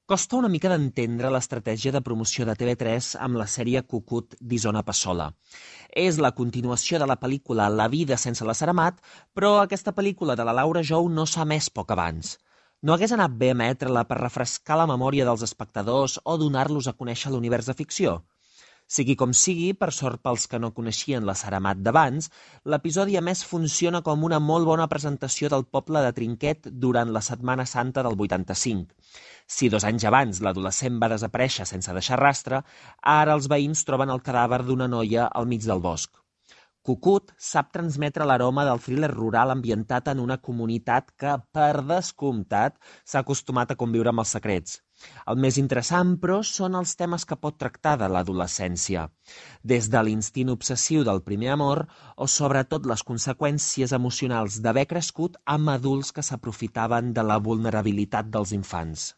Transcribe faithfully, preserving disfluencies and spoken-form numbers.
Costa una mica d'entendre l'estratègia de promoció de T V tres amb la sèrie Cucut d'Isona Passola. És la continuació de la pel·lícula La vida sense la Saramat, però aquesta pel·lícula de la Laura Jou no s'ha emès poc abans. No hagués anat bé emetre-la per refrescar la memòria dels espectadors o donar-los a conèixer l'univers de ficció? Sigui com sigui, per sort pels que no coneixien la Saramat d'abans, l'episodi a més funciona com una molt bona presentació del poble de Trinquet durant la Setmana Santa del vuitanta-cinc. Si dos anys abans l'adolescent va desaparèixer sense deixar rastre, ara els veïns troben el cadàver d'una noia al mig del bosc. Cucut sap transmetre l'aroma del thriller rural ambientat en una comunitat que, per descomptat, s'ha acostumat a conviure amb els secrets. El més interessant, però, són els temes que pot tractar de l'adolescència, des de l'instint obsessiu del primer amor o sobretot les conseqüències emocionals d'haver crescut amb adults que s'aprofitaven de la vulnerabilitat dels infants.